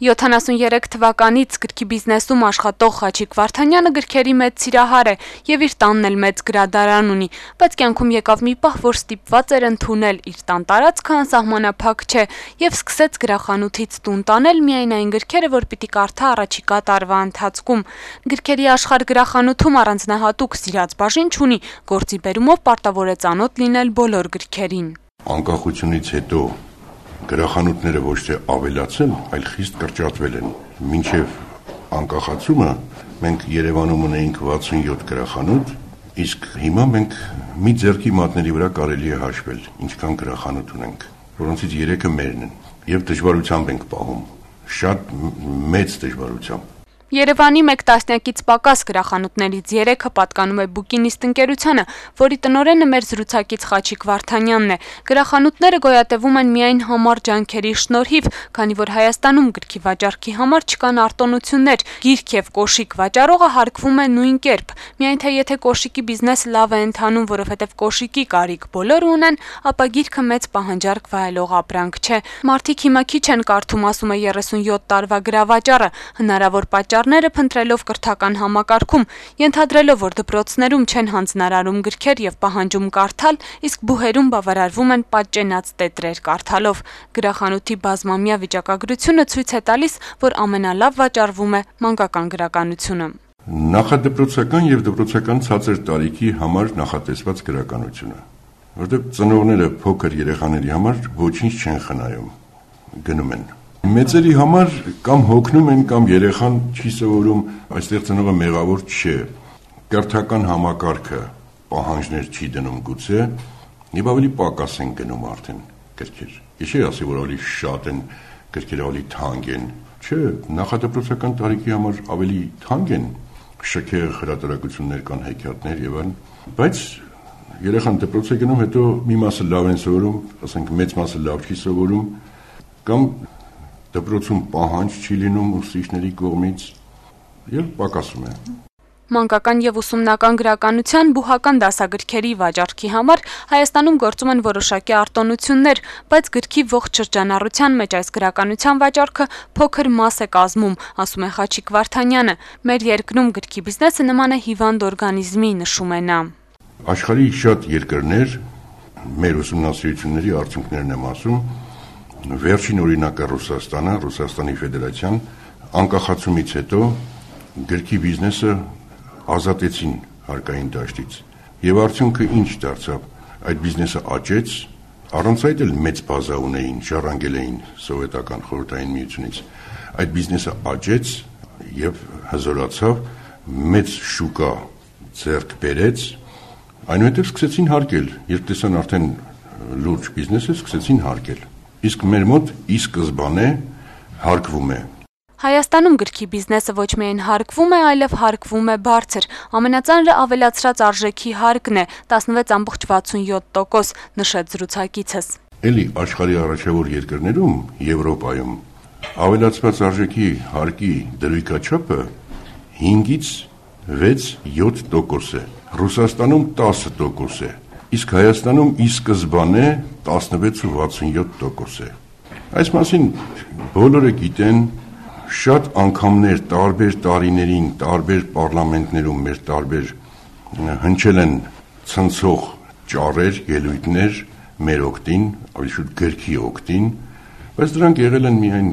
73 թվականից գրքի բիզնեսում աշխատող Խաչիկ Վարդանյանը գրքերի մեծ սիրահար է եւ իր տանն էլ մեծ գրադարան ունի, բայց կյանքում եկավ մի պահ, որ ստիպված էր ընդունել իր տան տարածքը անսահմանափակ չէ եւ սկսեց գրախանութից տուն տանել միայն այն գրքերը, որ պիտի կարդա առաջիկա տարվա ընթացքում։ Գրքերի աշխարհ գրախանութում առանձնահատուկ սիրած բաժին չունի, գործի բերումով պարտավոր է ծանոթ լինել բոլոր գրքերին։ Անկախությունից հետո գրախանութները ոչ թե ավելացել, այլ խիստ կրճատվել են։ Մինչև անկախացումը մենք Երևանում ունեինք 67 գրախանութ, իսկ հիմա մենք մի ձեռքի մատների վրա կարելի է հաշվել, ինչքան գրախանութ ունենք, որոնցից 3-ը մերն են, եւ դժվարությամբ ենք պահում, շատ մեծ դժվարությամբ։ Երևանի մեկ տասնյակից պակաս գրախանութներից 3-ը պատկանում է Բուկինիստ ընկերությանը, որի տնօրենը մեր զրուցակից Խաչիկ Վարդանյանն է։ Գրախանութները գոյատևում են միայն համառ ջանքերի շնորհիվ, քանի որ Հայաստանում գրքի վաճառքի համար չկան արտոնություններ, գիրք եւ կոշիկ վաճառողը հարկվում է նույն կերպ։ Միայն թե եթե կոշիկի բիզնեսը լավ է ընթանում, որովհետեւ կոշիկի կարիք բոլորը ունեն, ապա գիրքը մեծ պահանջարկ վայելող ապրանք չէ։ Մարդիկ հիմա քիչ են կարդում, ասում է 37 տարվա գրավաճառը, հնարավոր պատճառները փնտրելով կրթական համակարգում, ենթադրելով, որ դպրոցներում չեն հանձնարարում գրքեր եւ պահանջում կարդալ, իսկ բուհերում բավարարվում են պատճենած տետրեր կարդալով։ Գրախանութի բազմամյա վիճակագրությունը ցույց է տալիս, որ ամենալավ վաճառվում է մանկական գրականությունը։ Նախադպրոցական եւ դպրոցական ցածր տարիքի համար նախատեսված գրականությունը, որտեղ ծնողները փոքր երեխաների համար ոչինչ չեն խնայում, գնում են։ Մեծերի համար կամ հոգնում են, կամ երեխան չի սովորում, այստեղ ծնողը մեղավոր չէ, կրթական համակարգը պահանջներ չի դնում գուցե, եւ ավելի պակաս են գնում արդեն գրքեր։ Ես չի ասի, որ ավելի շատ են գրքերը, ավելի թանկ են, չէ, նախադպրոցական տարիքի համար ավելի թանկ են, շքեղ հրատարակություններ կան, հեքիաթներ եւ այլն, բայց երեխան դպրոց է գնում, հետո մի մասը լավ են սովորում, ասենք մեծ մասը լավ չի սովորում, կամ դպրոցում պահանջ չի լինում ուսուցիչների կողմից եւ պակասում է։ Մանկական եւ ուսումնական գրականության բուհական դասագրքերի վաճառքի համար Հայաստանում գործում են որոշակի արտոնություններ, բայց գրքի ողջ շրջանառության մեջ այս գրականության վաճառքը փոքր մաս է կազմում, ասում է Խաչիկ Վարդանյանը։ Մեր երկրում գրքի բիզնեսը նման է հիվանդ օրգանիզմի, նշում է նա։ Աշխարհի շատ երկրներ մեր ուսումնասիրությունների արդյունքներն եմ ասում, վերջին օրինակը Ռուսաստանը, Ռուսաստանի Ֆեդերացիան անկախացումից հետո գրքի բիզնեսը ազատեցին հարկային դաշտից։ Եվ արդյունքը ինչ դարձավ։ Այդ բիզնեսը աճեց, առանց այդ էլ մեծ բազա ունեին, ժառանգել էին սովետական խորհրդային միությունից։ Այդ բիզնեսը աճեց եւ հզորացավ, մեծ շուկա ձեռք բերեց, այնուհետև սկսեցին հարկել, երբ տեսան արդեն լուրջ բիզնեսը, սկսեցին հարկել։ Իսկ մեր մոտ ի սկզբանե հարկվում է։ Հայաստանում գրքի բիզնեսը ոչ միայն հարկվում է, այլև հարկվում է բարձր։ Ամենածանրը ավելացրած արժեքի հարկն է 16.67%, նշեց զրուցակիցս։ Էլի աշխարհի առաջավոր երկրներում, Եվրոպայում, ավելացված արժեքի հարկի դրույքաչափը 5-ից 6-7% է։ Ռուսաստանում 10% է, իսկ Հայաստանում ի սկզբանե 16.67% է։ Այս մասին բոլորը գիտեն, շատ անգամներ տարբեր տարիներին, տարբեր պարլամենտներում մեր տարբեր հնչել են ցնցող ճառեր, ելույթներ մեր օգտին, ավելի շուտ գրքի օգտին, բայց դրանք եղել են միայն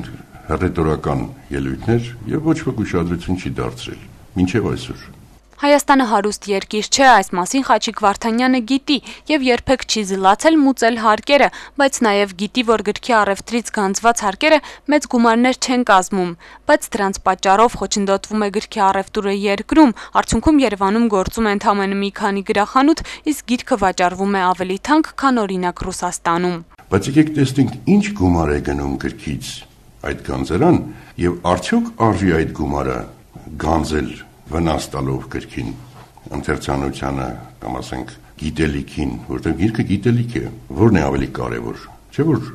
ռետորական ելույթներ եւ ոչ ոք ուշադրություն չի դարձրել մինչեւ այսօր։ Հայաստանը հարուստ երկիր չէ, այս մասին Խաչիկ Վարդանյանը գիտի եւ երբեք չի զլացել մուծել հարկերը, բայց նաեւ գիտի, որ գրքի առևտրից գանձված հարկերը մեծ գումարներ չեն կազմում, բայց դրանց պատճառով խոչընդոտվում է գրքի առևտուրը երկրում, արդյունքում Երևանում գործում է ընդամենը մի քանի գրախանութ, իսկ գիրքը վաճառվում է ավելի թանկ, քան օրինակ Ռուսաստանում։ Բայց եկեք տեսնենք, ինչ գումար է գնում գրքից այդ գանձերան եւ արդյոք արժի այդ գումարը գանձել վնաս տալով գրքին, ընթերցանությանը, կամ ասենք գիտելիքին, որտեղ գիրքը գիտելիք է, որն է ավելի կարևոր։ Չէ՞ որ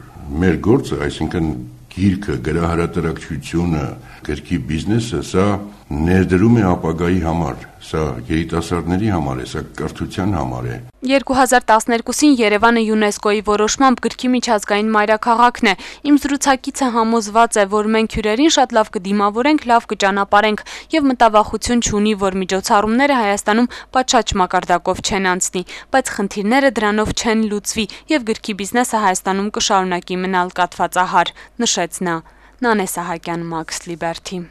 մեր գործը, այսինքն գիրքը, գրահրատարակչությունը, գրքի բիզնեսը, սա ներդրում է ապագայի համար, Սա երիտասարդների համար է, սա կրթության համար է։ 2012-ին Երևանը ՅՈՒՆԵՍԿՕ-ի որոշմամբ գրքի միջազգային մայրաքաղաքն է։ Իմ զրուցակիցը համոզված է, որ մենք հյուրերին շատ լավ կդիմավորենք, լավ կճանապարհենք եւ մտավախություն չունի, որ միջոցառումները Հայաստանում պատշաճ մակարդակով չեն անցնի, բայց խնդիրները դրանով չեն լուծվի եւ գրքի բիզնեսը Հայաստանում կշարունակի մնալ կաթվածահար, նշեց նա։ Նանե Սահակյան, Max Liberty։